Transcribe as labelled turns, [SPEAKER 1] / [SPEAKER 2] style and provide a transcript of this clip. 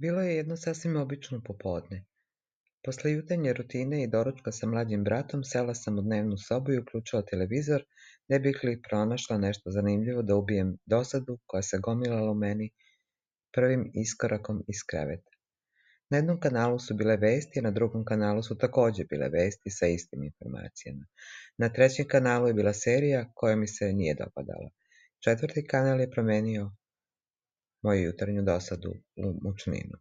[SPEAKER 1] Bilo je jedno sasvim obično popodne. Posle jutarnje rutine i doručka sa mlađim bratom sela sam u dnevnu sobu i uključila televizor, ne bih li pronašla nešto zanimljivo da ubijem dosadu koja se gomilala u meni prvim iskorakom iz kreveta. Na jednom kanalu su bile vesti, a na drugom kanalu su takođe bile vesti sa istim informacijama. Na trećem kanalu je bila serija koja mi se nije dopadala. Četvrti kanal je promenio moju jutarnju dosadu u mučninu.